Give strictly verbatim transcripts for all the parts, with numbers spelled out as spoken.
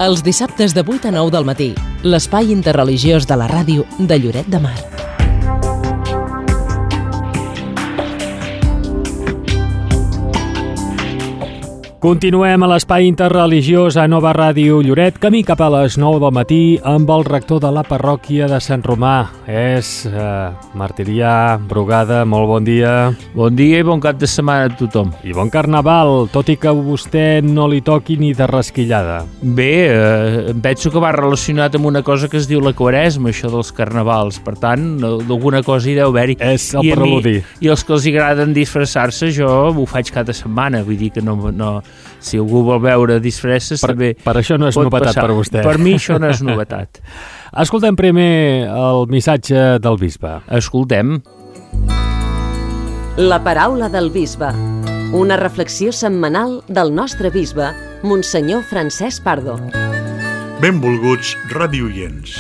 Els dissabtes de vuit a nou del matí, l'espai interreligiós de la ràdio de Lloret de Mar. Continuem a l'espai interreligiós a Nova Ràdio Lloret, camí cap a les nou del matí amb el rector de la parròquia de Sant Romà. És eh, Martirià Brugada, molt bon dia. Bon dia i bon cap de setmana a tothom. I bon carnaval, tot i que a vostè no li toqui ni de rasquillada. Bé, eh, penso que va relacionat amb una cosa que es diu la Quaresma, això dels carnavals. Per tant, alguna cosa hi deu haver-hi. És el preludi. I els que els agraden disfressar-se, jo ho faig cada setmana, vull dir que no... no si algú vol veure disfresses, per, també per això no és novetat passar. Per vostè. Per mi això no és novetat. Escoltem primer el missatge del bisbe. Escoltem. La paraula del bisbe. Una reflexió setmanal del nostre bisbe, Monsenyor Francesc Pardo. Benvolguts radioients.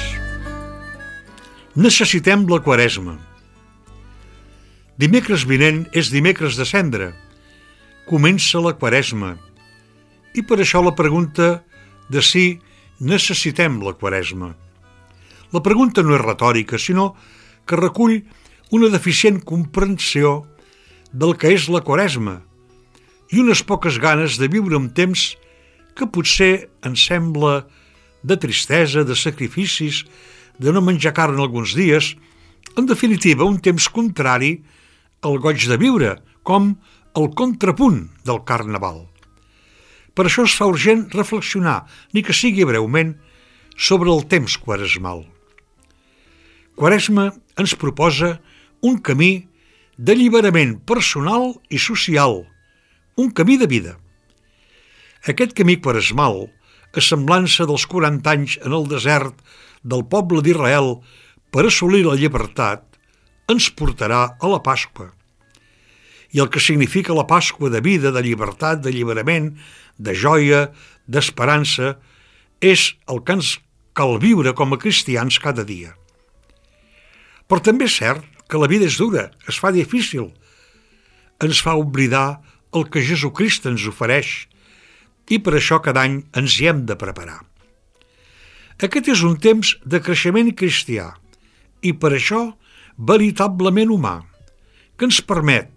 Necessitem la Quaresma. Dimecres vinent és dimecres de cendra. Comença la Quaresma. I per això la pregunta de si necessitem la Quaresma. La pregunta no és retòrica, sinó que recull una deficient comprensió del que és la Quaresma i unes poques ganes de viure un temps que potser ens sembla de tristesa, de sacrificis, de no menjar carn alguns dies, en definitiva un temps contrari al goig de viure, com el contrapunt del Carnaval. Per això es fa urgent reflexionar, ni que sigui breument, sobre el temps quaresmal. Quaresma ens proposa un camí d'alliberament personal i social, un camí de vida. Aquest camí quaresmal, a semblança dels quaranta anys en el desert del poble d'Israel per assolir la llibertat, ens portarà a la Pasqua. I el que significa la Pasqua de vida, de llibertat, d'alliberament, de joia, d'esperança, és el que ens cal viure com a cristians cada dia. Però també és cert que la vida és dura, es fa difícil, ens fa oblidar el que Jesucrist ens ofereix i per això cada any ens hi hem de preparar. Aquest és un temps de creixement cristià i per això veritablement humà, que ens permet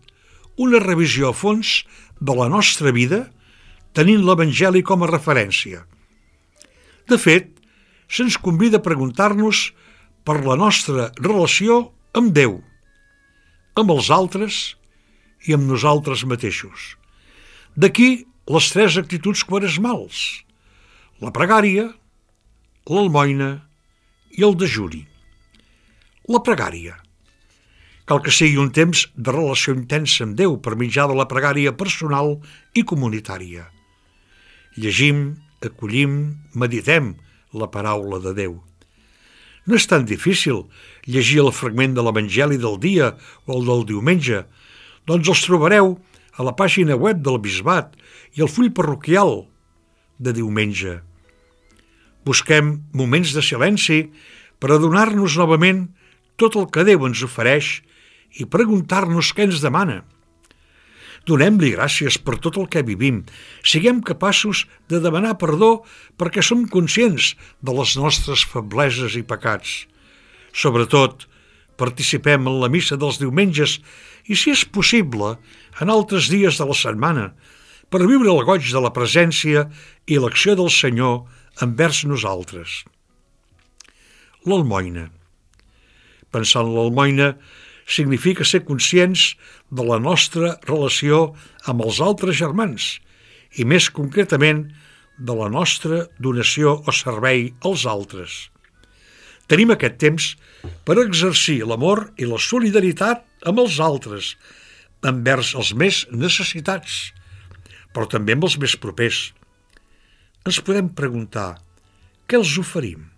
una revisió a fons de la nostra vida tenint l'Evangeli com a referència. De fet, se'ns convida a preguntar-nos per la nostra relació amb Déu, amb els altres i amb nosaltres mateixos. D'aquí les tres actituds quaresmals: la pregària, l'almoina i el dejuni. La pregària. Cal que sigui un temps de relació intensa amb Déu per mitjà de la pregària personal i comunitària. Llegim, acollim, meditem la paraula de Déu. No és tan difícil llegir el fragment de l'Evangeli del dia o el del diumenge, doncs els trobareu a la pàgina web del Bisbat i al full parroquial de diumenge. Busquem moments de silenci per adonar-nos novament tot el que Déu ens ofereix i preguntar-nos què ens demana. Donem-li gràcies per tot el que vivim. Siguem capaços de demanar perdó perquè som conscients de les nostres febleses i pecats. Sobretot, participem en la missa dels diumenges i, si és possible, en altres dies de la setmana, per viure el goig de la presència i l'acció del Senyor envers nosaltres. L'almoina. Pensar en l'almoina significa ser conscients de la nostra relació amb els altres germans i, més concretament, de la nostra donació o servei als altres. Tenim aquest temps per exercir l'amor i la solidaritat amb els altres, envers els més necessitats, però també amb els més propers. Ens podem preguntar: què els oferim?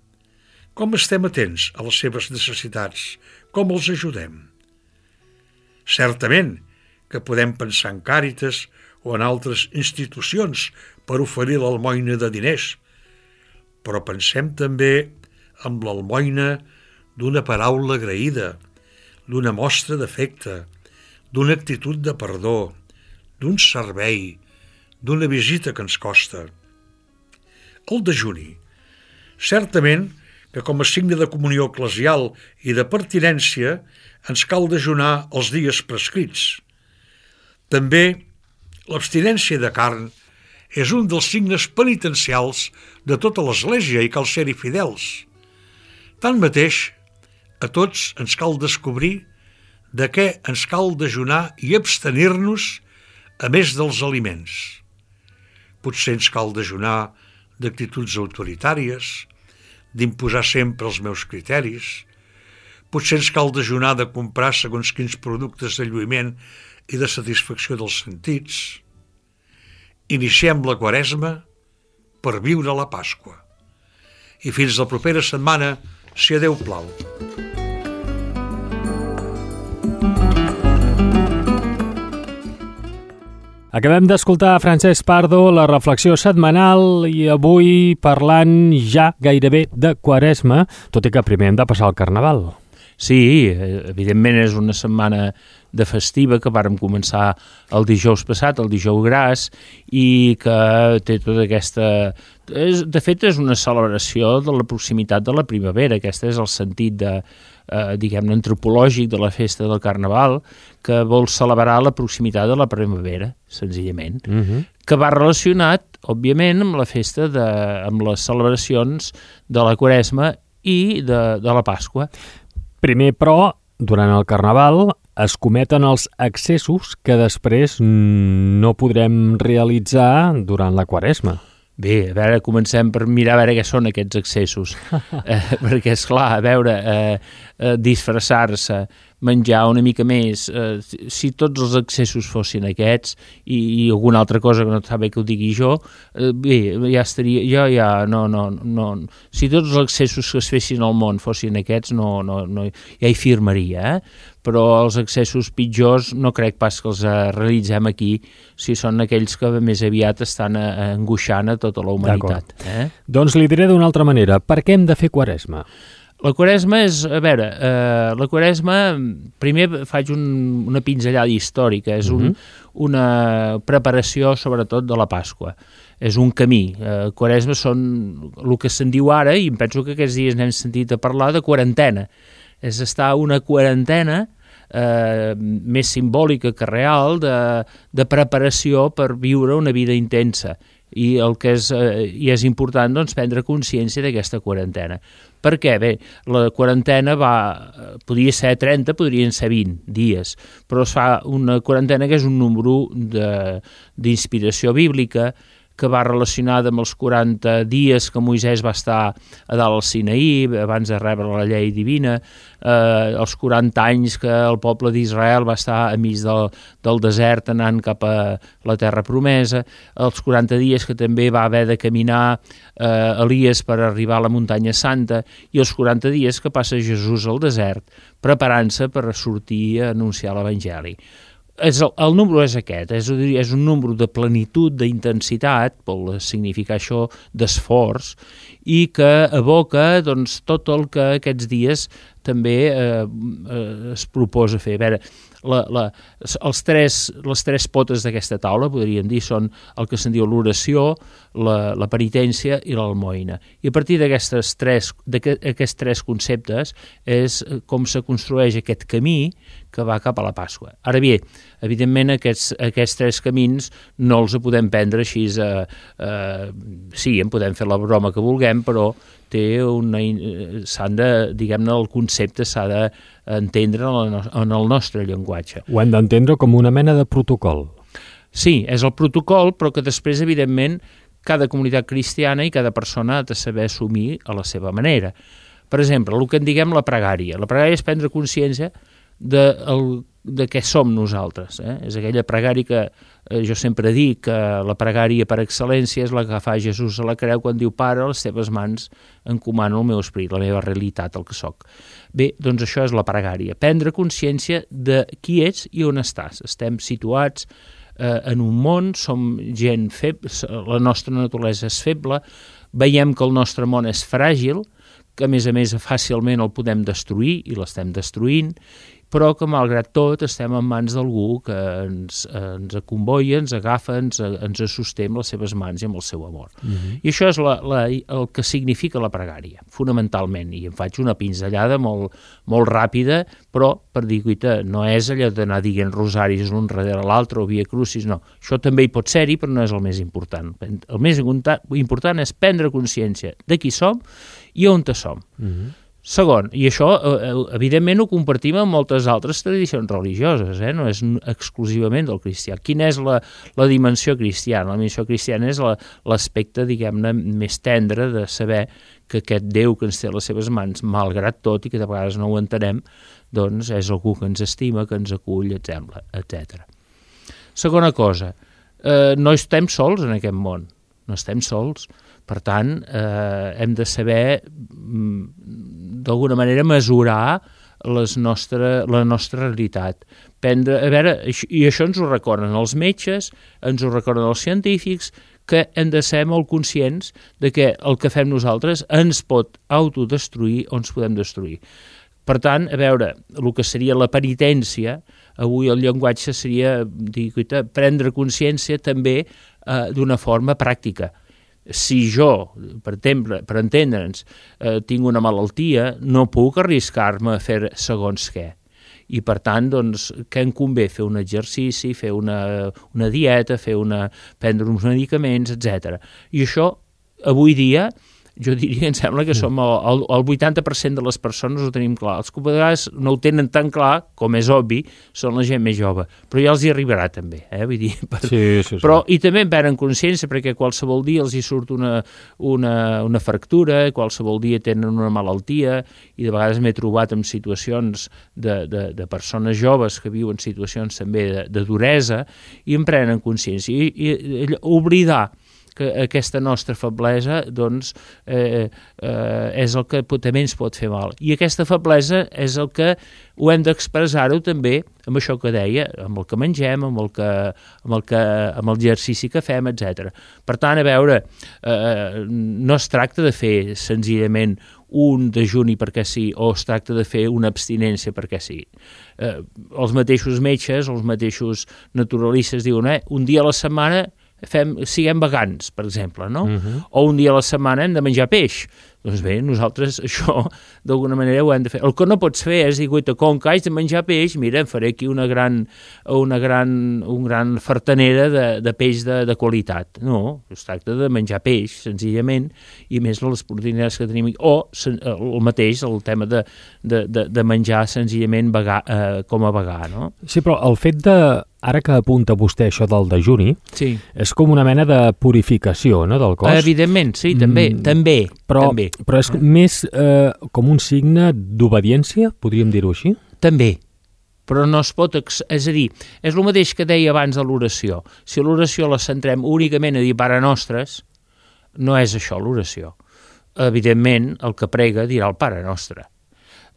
Com estem atents a les seves necessitats? Com els ajudem? Certament que podem pensar en Càritas o en altres institucions per oferir l'almoina de diners, però pensem també en l'almoina d'una paraula agraïda, d'una mostra d'afecte, d'una actitud de perdó, d'un servei, d'una visita que ens costa. El dejuni Certament que com a signe de comunió eclesial i de pertinència ens cal dejunar els dies prescrits. També l'abstinència de carn és un dels signes penitencials de tota l'Església i cal ser-hi fidels. Tanmateix, a tots ens cal descobrir de què ens cal dejunar i abstenir-nos a més dels aliments. Potser ens cal dejunar d'actituds autoritàries, d'imposar sempre els meus criteris. Potser ens cal dejunar de comprar segons quins productes de lluïment i de satisfacció dels sentits. Iniciem la Quaresma per viure la Pasqua. I fins la propera setmana, si a Déu plau. Acabem d'escoltar Francesc Pardo, la reflexió setmanal, i avui parlant ja gairebé de Quaresma, tot i que primer hem de passar el Carnaval. Sí, evidentment és una setmana de festiva que vàrem començar el dijous passat, el dijous gras, i que té tota aquesta... És, de fet, és una celebració de la proximitat de la primavera. Aquest és el sentit de, eh, diguem-ne, antropològic de la festa del Carnaval, que vol celebrar la proximitat de la primavera, senzillament, uh-huh. que va relacionat, òbviament, amb la festa, de, amb les celebracions de la Quaresma i de, de la Pasqua. Primer, però, durant el Carnaval es cometen els excessos que després no podrem realitzar durant la Quaresma. Bé, a veure, comencem per mirar a veure què són aquests excessos. eh, perquè, esclar, a veure, eh, eh, disfressar-se, menjar una mica més, eh, si tots els excessos fossin aquests i, i alguna altra cosa que no està bé que ho digui jo, eh, bé, ja estaria, jo ja, no, no, no, si tots els excessos que es fessin al món fossin aquests, no, no, no, ja hi firmaria, eh? Però els excessos pitjors no crec pas que els realitzem aquí, si són aquells que més aviat estan angoixant a tota la humanitat. Eh? Doncs li diré d'una altra manera, per què hem de fer Quaresma? La Quaresma és, a veure, eh, la Quaresma, primer faig un, una pinzellada històrica, és un, mm-hmm. una preparació sobretot de la Pasqua. És un camí. Eh, Quaresma són el que se'n diu ara, i em penso que aquests dies n'hem sentit a parlar, de quarantena. És estar una quarantena eh, més simbòlica que real de, de preparació per viure una vida intensa. I el que és, eh, i és important doncs, prendre consciència d'aquesta quarantena. Per què? Bé, la quarantena va, podria ser trenta, podrien ser vint dies, però es fa una quarantena que és un número d'inspiració bíblica, que va relacionada amb els quaranta dies que Moisès va estar a dalt al Sinaí, abans de rebre la llei divina, eh, els quaranta anys que el poble d'Israel va estar a mig del, del desert anant cap a la terra promesa, els quaranta dies que també va haver de caminar eh, Elies per arribar a la muntanya santa, i els quaranta dies que passa Jesús al desert preparant-se per sortir a anunciar l'Evangeli. És el, el número és aquest, és, és un número de plenitud, d'intensitat, vol significar això, d'esforç, i que evoca doncs, tot el que aquests dies també eh, eh, es proposa fer. A veure, la, la, els tres, les tres potes d'aquesta taula, podríem dir, són el que se'n diu l'oració, la, la penitència i l'almoina. I a partir d'aquestes tres, d'aquests tres conceptes és com se construeix aquest camí que va cap a la Pasqua. Ara bé, evidentment aquests, aquests tres camins no els podem prendre així, eh, eh, sí, en podem fer la broma que vulguem, però té una, s'han de, diguem-ne, el concepte s'ha d'entendre en el nostre llenguatge. Ho hem d'entendre com una mena de protocol. Sí, és el protocol, però que després, evidentment, cada comunitat cristiana i cada persona ha de saber assumir a la seva manera. Per exemple, el que en diguem la pregària. La pregària és prendre consciència de, el, de què som nosaltres. Eh? És aquella pregària que eh, jo sempre dic que la pregària per excel·lència és la que fa Jesús a la creu quan diu: Pare, a les teves mans encomano el meu esperit, la meva realitat, el que sóc. Bé, doncs això és la pregària. Prendre consciència de qui ets i on estàs. Estem situats eh, en un món, som gent feble, la nostra naturalesa és feble, veiem que el nostre món és fràgil, que a més a més fàcilment el podem destruir i l'estem destruint, però que malgrat tot estem en mans d'algú que ens, ens convoia, ens agafa, ens, ens sosté amb les seves mans i amb el seu amor. Uh-huh. I això és la, la, el que significa la pregària, fonamentalment, i em faig una pinzellada molt, molt ràpida, però per dir, guita, no és allò d'anar dient rosaris l'un darrere l'altre o via crucis, no. Això també hi pot ser-hi, però no és el més important. El més important és prendre consciència de qui som i on som. Uh-huh. Segon, i això evidentment ho compartim amb moltes altres tradicions religioses, eh? No és exclusivament del cristià. Quina és la, la dimensió cristiana? La dimensió cristiana és la, l'aspecte, diguem-ne, més tendre de saber que aquest Déu que ens té a les seves mans, malgrat tot, i que de vegades no ho entenem, doncs és algú que ens estima, que ens acull, etcètera. Segona cosa, eh, no estem sols en aquest món, no estem sols. Per tant, eh, hem de saber, d'alguna manera, mesurar les nostre, la nostra realitat. Prendre, a veure, i això ens ho recorden els metges, ens ho recorden els científics, que hem de ser molt conscients de que el que fem nosaltres ens pot autodestruir o ens podem destruir. Per tant, a veure, el que seria la penitència, avui el llenguatge seria dir, prendre consciència també eh, d'una forma pràctica. Si jo, per exemple, per entendre'ns, eh, tinc una malaltia, no puc arriscar-me a fer segons què. I per tant, doncs, què em convé? Fer un exercici, fer una, una dieta, fer una, prendre uns medicaments, etcètera. I això, avui dia, jo diria, em sembla que som el, el, el vuitanta per cent de les persones ho tenim clar. Els que a vegades no ho tenen tan clar, com és obvi, són la gent més jove. Però ja els hi arribarà també, eh? Vull dir, per... sí, sí, sí. Però, i també en prenen consciència, perquè qualsevol dia els hi surt una, una, una fractura, qualsevol dia tenen una malaltia, i de vegades m'he trobat en situacions de, de, de persones joves que viuen situacions també de, de duresa, i en prenen consciència. I, i, i oblidar que aquesta nostra feblesa doncs, eh, eh, és el que també ens pot fer mal. I aquesta feblesa és el que ho hem d'expressar-ho també amb això que deia, amb el que mengem, amb el, que, amb el, que, amb el exercici que fem, etcètera. Per tant, a veure, eh, no es tracta de fer senzillament un dejuni perquè sí, o es tracta de fer una abstinència perquè sí. Eh, els mateixos metges, els mateixos naturalistes diuen, eh, un dia a la setmana fem, siguem vegans, per exemple, no? Uh-huh. O un dia a la setmana hem de menjar peix. Doncs bé, nosaltres això d'alguna manera ho hem de fer. El que no pots fer és dir, guaita, com que haig de menjar peix, mira, em faré aquí una gran, una gran, un gran fartanera de, de peix de, de qualitat. No, es tracta de menjar peix, senzillament, i més les proteïnes que tenim. O el mateix, el tema de, de, de, de menjar senzillament vegà, eh, com a vegà, no? Sí, però el fet de... Ara que apunta vostè això del dejuni, sí. És com una mena de purificació, no, del cos? Evidentment, sí, també, mm, també, però, també. Però és més eh, com un signe d'obediència, podríem dir-ho així? També, però no es pot... Ex... És a dir, és el mateix que deia abans de l'oració. Si l'oració la centrem únicament a dir Pare Nostres, no és això l'oració. Evidentment, el que prega dirà el Pare Nostre.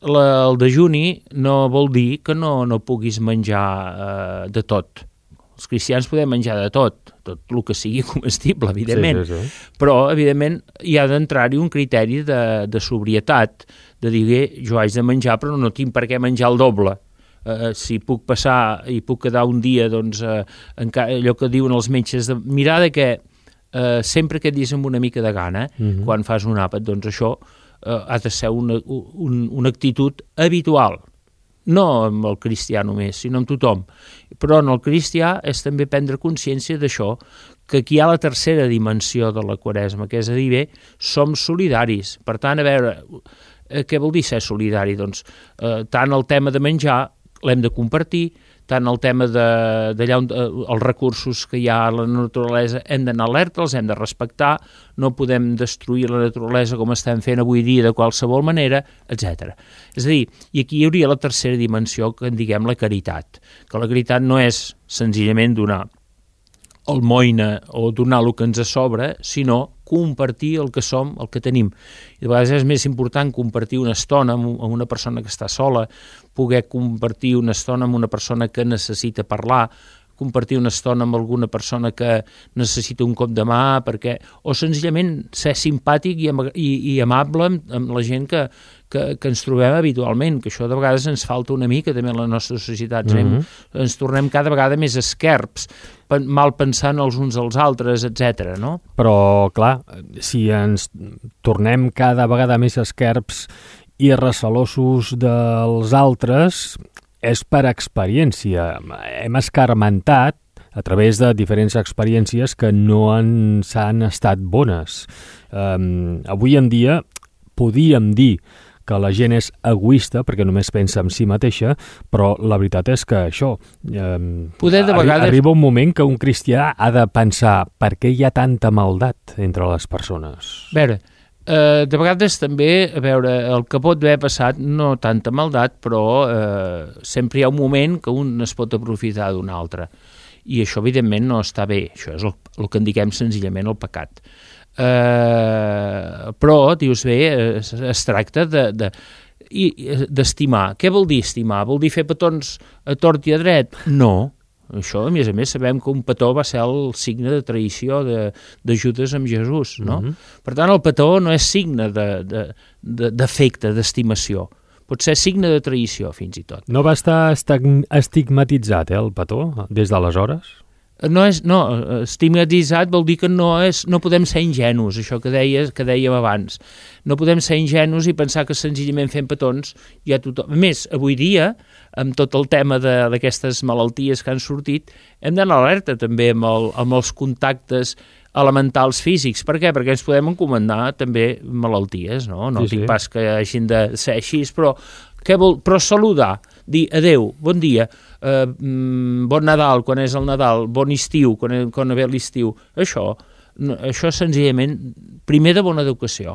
La, el dejuni no vol dir que no, no puguis menjar eh, de tot. Els cristians podem menjar de tot, tot el que sigui comestible, evidentment. Sí, sí, sí. Però, evidentment, hi ha d'entrar-hi un criteri de, de sobrietat, de dir, jo haig de menjar, però no tinc per què menjar el doble. Uh, si puc passar i puc quedar un dia, doncs, uh, encara, allò que diuen els metges, de mirar de que uh, sempre que et dis amb una mica de gana, uh-huh. quan fas un àpat, doncs això Uh, ha de ser una, un, una actitud habitual, no amb el cristià només, sinó amb tothom. Però en el cristià és també prendre consciència d'això, que aquí hi ha la tercera dimensió de la Quaresma, que és a dir, bé, som solidaris. Per tant, a veure, eh, què vol dir ser solidari? Doncs eh, tant el tema de menjar l'hem de compartir, tant el tema de, d'allà on eh, els recursos que hi ha a la naturalesa hem d'anar alerta, els hem de respectar, no podem destruir la naturalesa com estem fent avui dia de qualsevol manera, etcètera. És a dir, i aquí hi hauria la tercera dimensió, que en diguem la caritat, que la caritat no és senzillament donar almoina o donar el que ens sobra, sinó compartir el que som, el que tenim. I de vegades és més important compartir una estona amb una persona que està sola, poder compartir una estona amb una persona que necessita parlar, compartir una estona amb alguna persona que necessita un cop de mà, perquè, o senzillament ser simpàtic i, i, i amable amb, amb la gent que, que, que ens trobem habitualment, que això de vegades ens falta una mica també en la nostra societat. Mm-hmm. Ens, ens tornem cada vegada més esquerps, mal pensant els uns als altres, etcètera, no? Però, clar, si ens tornem cada vegada més esquerps i recelosos dels altres, és per experiència. Hem escarmentat a través de diferents experiències que no ens han estat bones. Um, avui en dia podíem dir que la gent és egoista perquè només pensa en si mateixa, però la veritat és que això... Um, Poder de vegades... Arriba un moment que un cristià ha de pensar per què hi ha tanta maldat entre les persones. A veure, Uh, de vegades també, a veure, el que pot haver passat, no tanta maldat, però uh, sempre hi ha un moment que un es pot aprofitar d'un altre. I això, evidentment, no està bé. Això és el, el que en diguem senzillament el pecat. Uh, però, dius bé, es, es tracta de... de i d'estimar. Què vol dir estimar? Vol dir fer petons a tort i a dret? No. Això, a més a més, sabem que un petó va ser el signe de traïció de, de Judes amb Jesús, no? Mm-hmm. Per tant, el petó no és signe de, de, de, d'afecte, d'estimació. Pot ser signe de traïció, fins i tot. No va estar estigmatitzat, eh, el petó, des d'aleshores? No, és, no, estigmatitzat vol dir que no, és, no podem ser ingenus, això que, deia, que dèiem abans. No podem ser ingenus i pensar que senzillament fent petons ja tothom... A més, avui dia, amb tot el tema d'aquestes malalties que han sortit, hem d'anar alerta també amb, el, amb els contactes elementals físics. Per què? Perquè ens podem encomendar també malalties, no? No sí, dic sí. Pas que hagin de ser així, però... Què vol? Però saludar, dir adeu, bon dia, eh, bon Nadal, quan és el Nadal, bon estiu, quan, quan ve l'estiu, això, això senzillament, primer de bona educació,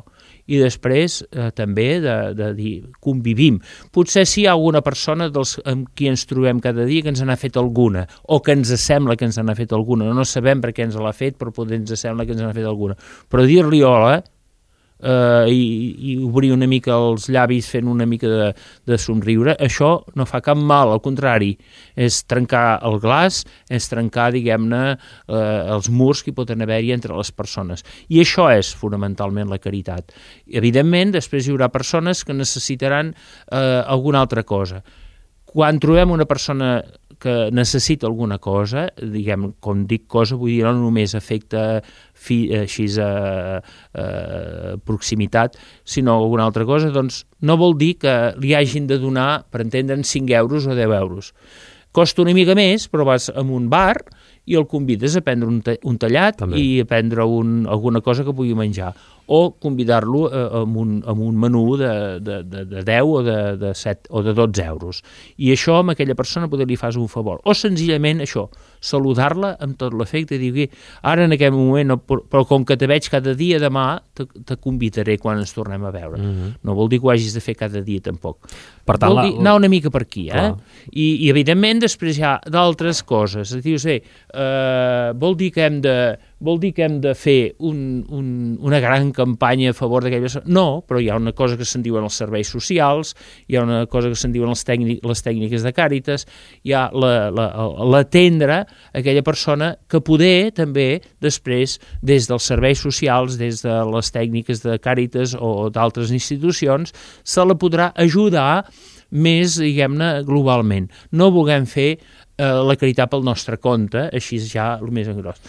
i després eh, també de, de dir, convivim. Potser si hi ha alguna persona dels, amb qui ens trobem cada dia que ens n'ha fet alguna, o que ens sembla que ens n'ha fet alguna, no sabem per què ens l'ha fet, però potser ens sembla que ens n'ha fet alguna. Però dir-li hola, Uh, i, i obrir una mica els llavis fent una mica de, de somriure, això no fa cap mal, al contrari, és trencar el glaç, és trencar, diguem-ne, uh, els murs que hi poden haver-hi entre les persones. I això és fonamentalment la caritat. I, evidentment, després hi haurà persones que necessitaran uh, alguna altra cosa. Quan trobem una persona que necessita alguna cosa, diguem, com dic cosa, vull dir, no només afecta fi, així a, a proximitat, sinó alguna altra cosa, doncs no vol dir que li hagin de donar, per entendre'n, cinc euros o deu euros. Costa una mica més, però vas a un bar i el convides a prendre un, un tallat també. I a prendre un, alguna cosa que pugui menjar. O convidar-lo eh, amb, un, amb un menú de, de, de, de deu o de, de set o de dotze euros. I això amb aquella persona poder li fas un favor. O senzillament això, saludar-la amb tot l'efecte i dir, ara en aquest moment, no, però com que te veig cada dia, demà te, te convidaré quan ens tornem a veure. Mm-hmm. No vol dir que ho hagis de fer cada dia tampoc. Per tant, vol dir la... anar una mica per aquí, eh? I, I evidentment després hi ha d'altres coses. Dius, bé, eh, vol dir que hem de vol dir que hem de fer un, un, una gran campanya a favor d'aquelles... No, però hi ha una cosa que se'n diuen els serveis socials, hi ha una cosa que se'n diuen els tècnic, les tècniques de Càritas, hi ha l'atendre aquella persona que poder també després, des dels serveis socials, des de les tècniques de Càritas o d'altres institucions, se la podrà ajudar més, diguem-ne, globalment. No vulguem fer la caritat pel nostre compte, així ja el més engros.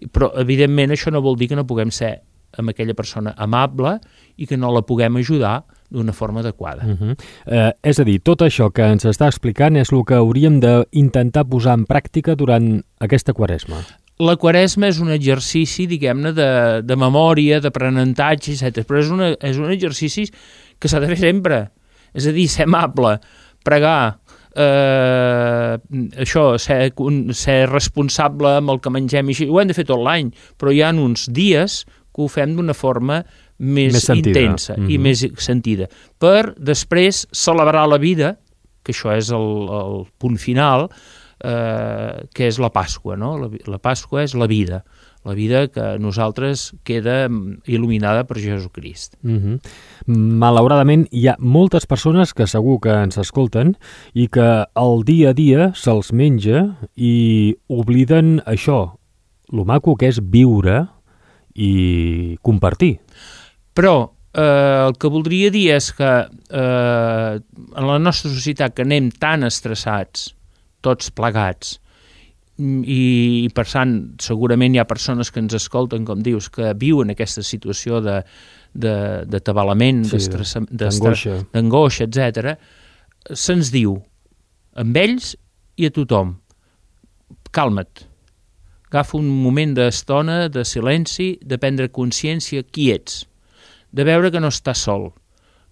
Però, evidentment, això no vol dir que no puguem ser amb aquella persona amable i que no la puguem ajudar d'una forma adequada. Uh-huh. eh, és a dir, tot això que ens està explicant és el que hauríem d'intentar posar en pràctica durant aquesta Quaresma. La Quaresma és un exercici, diguem-ne, de, de memòria, d'aprenentatge, etcètera. Però és, una, és un exercici que s'ha de fer sempre. És a dir, ser amable, pregar, Eh, això, ser, ser responsable amb el que mengem i així, ho hem de fer tot l'any, però hi ha uns dies que ho fem d'una forma més, més intensa mm-hmm. i més sentida, per després celebrar la vida, que això és el, el punt final, eh, que és la Pasqua, no? La, la Pasqua és la vida. la vida que nosaltres queda il·luminada per Jesucrist. Mm-hmm. Malauradament, hi ha moltes persones que segur que ens escolten i que el dia a dia se'ls menja i obliden això, lo maco que és viure i compartir. Però eh, el que voldria dir és que eh, en la nostra societat que anem tan estressats, tots plegats, i per tant segurament hi ha persones que ens escolten, com dius, que viuen aquesta situació de, de, de tabalament, sí, d'angoixa, d'angoixa, etcètera. Se'ns diu amb ells i a tothom: calma't, agafa un moment d'estona, de silenci, de prendre consciència qui ets, de veure que no estàs sol,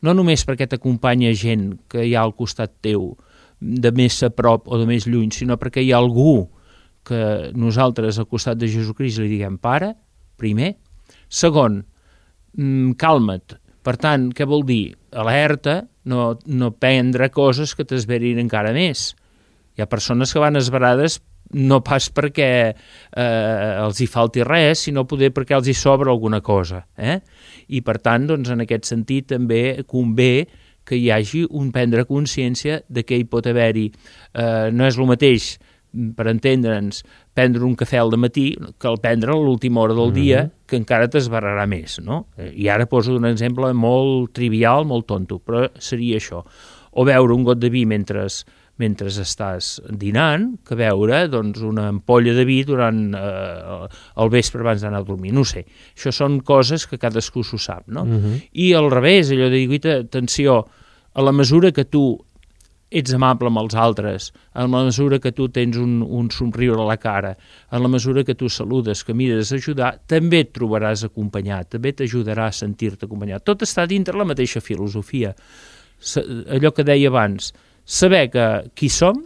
no només perquè t'acompanya gent que hi ha al costat teu, de més a prop o de més lluny, sinó perquè hi ha algú que nosaltres al costat de Jesucrist li diguem pare, primer. Segon, calma't. Per tant, què vol dir? Alerta, no, no prendre coses que t'esverin encara més. Hi ha persones que van esverades no pas perquè eh, els hi falti res, sinó poder perquè els hi sobra alguna cosa. Eh? I per tant, doncs, en aquest sentit també convé que hi hagi un prendre consciència de que hi pot haver-hi. Eh, no és el mateix, per entendre'ns, prendre un cafè al matí que el prendre a l'última hora del dia, mm-hmm. que encara t'esbarrarà més, no? I ara poso un exemple molt trivial, molt tonto, però seria això. O beure un got de vi mentre, mentre estàs dinant, que beure doncs, una ampolla de vi durant eh, el vespre abans d'anar a dormir. No ho sé. Això són coses que cadascú s'ho sap, no? Mm-hmm. I al revés, allò de dir, atenció, a la mesura que tu ets amable amb els altres, en la mesura que tu tens un, un somriure a la cara, en la mesura que tu saludes, que mires a ajudar, també et trobaràs acompanyat, també t'ajudarà a sentir-te acompanyat. Tot està dintre la mateixa filosofia. Allò que deia abans, saber que qui som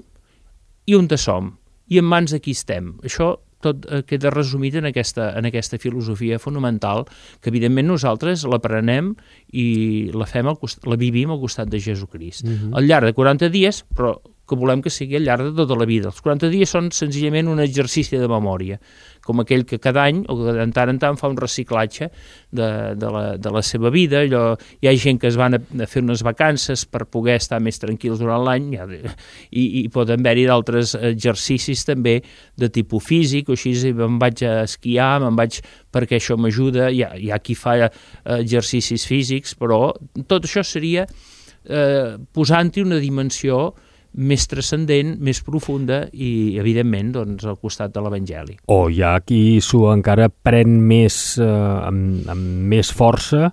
i on som, i en mans de qui estem. Això tot queda resumit en aquesta, en aquesta filosofia fonamental que, evidentment, nosaltres l'aprenem i la, fem al cost, la vivim al costat de Jesucrist. Mm-hmm. Al llarg de quaranta dies, però que volem que sigui al llarg de tota la vida. Els quaranta dies són senzillament un exercici de memòria, com aquell que cada any o que de tant en tant fa un reciclatge de, de, la, de la seva vida. Allò, hi ha gent que es van a, a fer unes vacances per poder estar més tranquils durant l'any, ja, i, i poden haver-hi d'altres exercicis també de tipus físic, o així me'n vaig a esquiar, me'n vaig perquè això m'ajuda. Hi ha, hi ha qui fa exercicis físics, però tot això seria eh, posant-hi una dimensió més transcendent, més profunda i, evidentment, doncs, al costat de l'Evangeli. O hi ha qui s'ho encara pren més, eh, amb, amb més força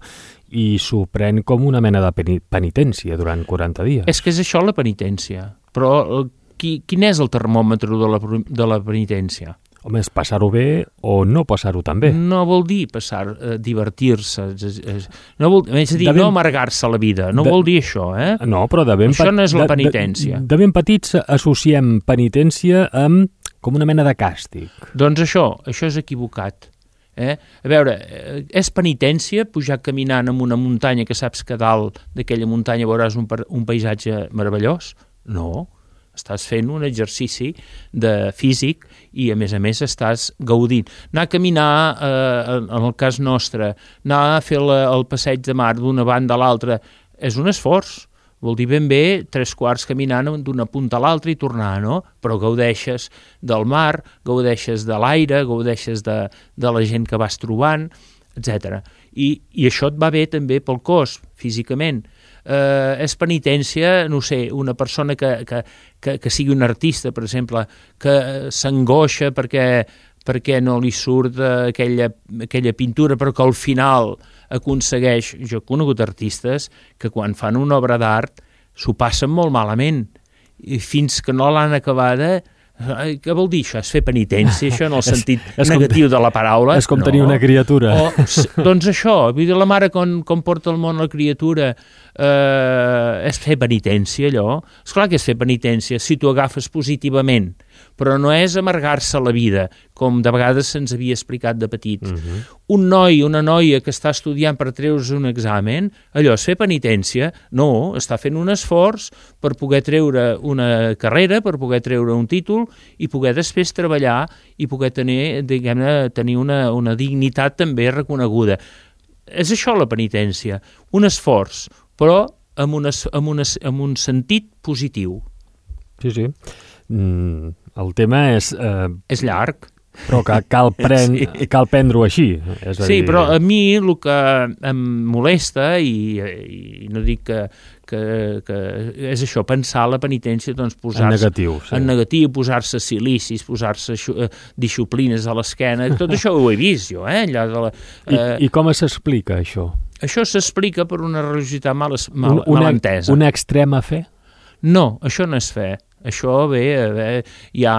i s'ho pren com una mena de penitència durant quaranta dies. És que és això la penitència. Però qui, quin és el termòmetre de la, de la penitència? Home, és passar-ho bé o no passar-ho tan bé. No vol dir passar, eh, divertir-se, no vol, és a dir, ben, no amargar-se la vida, no de, vol dir això, eh? No, però de ben... Això no és la penitència. De, de, de ben petits associem penitència amb com una mena de càstig. Doncs això, això és equivocat. Eh? A veure, és penitència pujar caminant en una muntanya que saps que dalt d'aquella muntanya veuràs un, un paisatge meravellós? No. Estàs fent un exercici de físic i, a més a més, estàs gaudint. Anar a caminar, eh, en el cas nostre, anar a fer la, el passeig de mar d'una banda a l'altra, és un esforç. Vol dir ben bé tres quarts caminant d'una punta a l'altra i tornar, no? Però gaudeixes del mar, gaudeixes de l'aire, gaudeixes de, de la gent que vas trobant, etcètera. I, I això et va bé també pel cos, físicament. Eh, és penitència, no sé, una persona que, que, que, que sigui un artista, per exemple, que s'angoixa perquè, perquè no li surt aquella, aquella pintura, però que al final aconsegueix... Jo he conegut artistes que quan fan una obra d'art s'ho passen molt malament, i fins que no l'han acabada... Què vol dir això? És fer penitència, això, en el sentit és, és negatiu com, de la paraula? És com no. tenir una criatura. O, doncs això, vull dir, la mare com, com porta al món la criatura eh, és fer penitència, allò. Esclar que és fer penitència si tu agafes positivament, però no és amargar-se la vida, com de vegades se'ns havia explicat de petit. Uh-huh. Un noi, una noia que està estudiant per treure's un examen, allò és fer penitència? No, està fent un esforç per poder treure una carrera, per poder treure un títol i poder després treballar i poder tenir, diguem-ne, tenir una, una dignitat també reconeguda. És això la penitència, un esforç, però amb, una, amb, una, amb un sentit positiu. Sí, sí. Mm, el tema és... Eh, és llarg. Però que cal, pren, sí. cal prendre-ho així. És a sí, dir... però a mi el que em molesta, i, i no dic que, que, que és això, pensar la penitència, doncs posar-se... En negatiu, sí. En negatiu, posar-se silicis, posar-se disciplines a l'esquena, tot això ho he vist jo, eh? Allà de la, I, eh... I com s'explica això? Això s'explica per una religiositat mal, mal, una, mal entesa. Una extrema fe? No, això no és fe. Això bé, bé ja,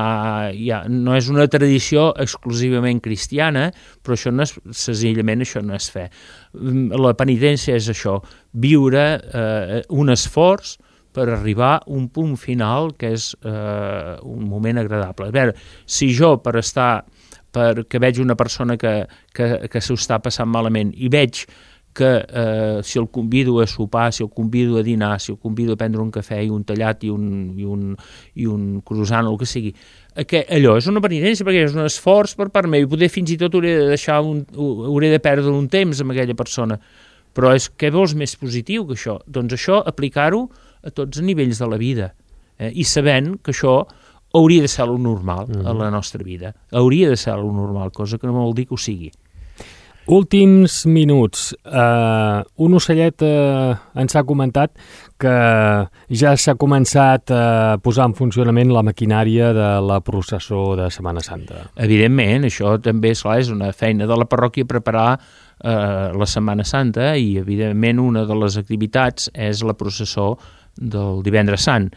ja, no és una tradició exclusivament cristiana, però això no és, senzillament això no és fe. La penitència és això, viure eh, un esforç per arribar a un punt final que és eh, un moment agradable. A veure, si jo per estar, perquè veig una persona que, que, que s'ho està passant malament i veig que eh, si el convido a sopar, si el convido a dinar, si el convido a prendre un cafè i un tallat i un, i un, i un croissant o el que sigui, que allò és una penitència perquè és un esforç per part meu i poder fins i tot hauré de deixar un, hauré de perdre un temps amb aquella persona, però és què vols més positiu que això? Doncs això aplicar-ho a tots els nivells de la vida eh? I sabent que això hauria de ser lo normal mm. a la nostra vida, hauria de ser lo normal, cosa que no vol dir que ho sigui. Últims minuts. Uh, un ocellet uh, ens ha comentat que ja s'ha començat a posar en funcionament la maquinària de la processó de Setmana Santa. Evidentment, això també és, clar, és una feina de la parròquia preparar uh, la Setmana Santa i, evidentment, una de les activitats és la processó del Divendres Sant,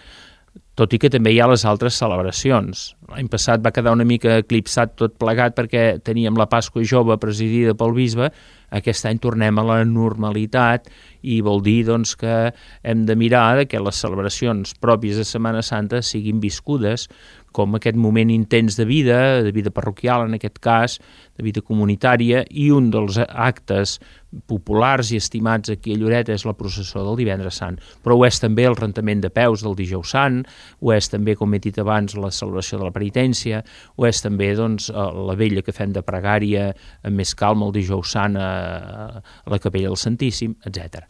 tot i que també hi ha les altres celebracions. L'any passat va quedar una mica eclipsat tot plegat perquè teníem la Pasqua Jove presidida pel bisbe, aquest any tornem a la normalitat i vol dir doncs, que hem de mirar que les celebracions pròpies de Setmana Santa siguin viscudes com aquest moment intens de vida, de vida parroquial en aquest cas, de vida comunitària, i un dels actes populars i estimats aquí a Lloret és la processó del Divendres Sant, però ho és també el rentament de peus del Dijous Sant, ho és també, com he dit abans, la celebració de la penitència, ho és també doncs, la vella que fem de pregària amb més calma el Dijous Sant a, a la Capella del Santíssim, etcètera.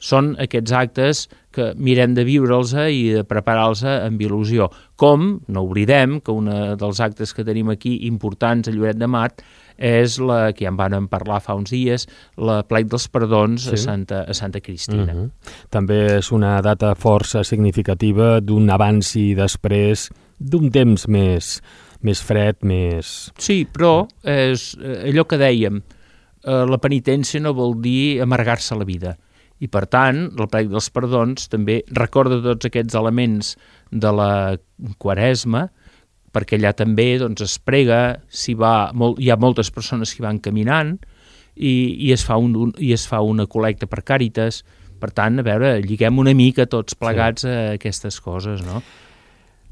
Són aquests actes que mirem de viure'ls i de preparar-los amb il·lusió. Com, no oblidem, que un dels actes que tenim aquí importants a Lloret de Mar és la que ja en van parlar fa uns dies, la plec dels perdons sí. a, Santa, a Santa Cristina. Uh-huh. També és una data força significativa d'un abans i després d'un temps més, més fred, més... Sí, però és allò que dèiem, eh, la penitència no vol dir amargar-se la vida. I, per tant, el plec dels perdons també recorda tots aquests elements de la Quaresma, perquè allà també doncs, es prega, s'hi va, molt, hi ha moltes persones que van caminant i, i, es fa un, un, i es fa una col·lecta per Càritas. Per tant, a veure, lliguem una mica tots plegats sí. a aquestes coses, no?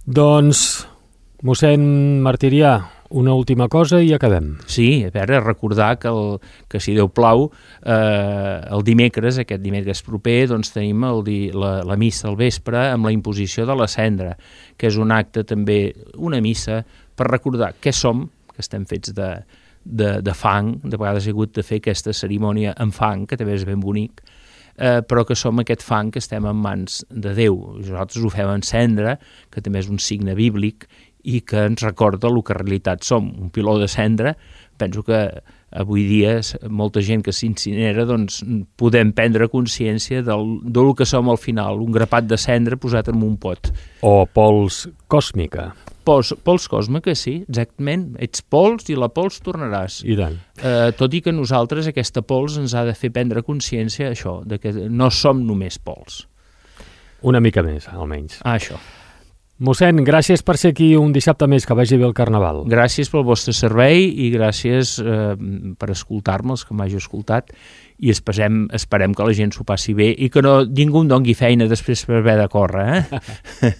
Doncs, mossèn Martirià, una última cosa i acabem. Sí, a veure, recordar que, el, que si Déu plau, eh, el dimecres, aquest dimecres proper, doncs tenim el di, la, la missa al vespre amb la imposició de la cendra, que és un acte també, una missa, per recordar què som, que estem fets de, de, de fang, de vegades he hagut de fer aquesta cerimònia en fang, que també és ben bonic, eh, però que som aquest fang que estem en mans de Déu. Nosaltres ho fem en cendra, que també és un signe bíblic, i que ens recorda el que en realitat som, un piló de cendra. Penso que avui dia molta gent que s'incinera doncs podem prendre consciència del, del que som al final, un grapat de cendra posat en un pot. O pols còsmica. Pols, pols còsmica, sí, exactament. Ets pols i la pols tornaràs. I tant. Eh, tot i que nosaltres aquesta pols ens ha de fer prendre consciència això, de que no som només pols. Una mica més, almenys. Ah, això. Mossèn, gràcies per ser aquí un dissabte més, que vagi bé el Carnaval. Gràcies pel vostre servei i gràcies eh, per escoltar-me, els que m'hagi escoltat, i esperem, esperem que la gent s'ho passi bé i que no, ningú em doni feina després per haver de córrer, eh?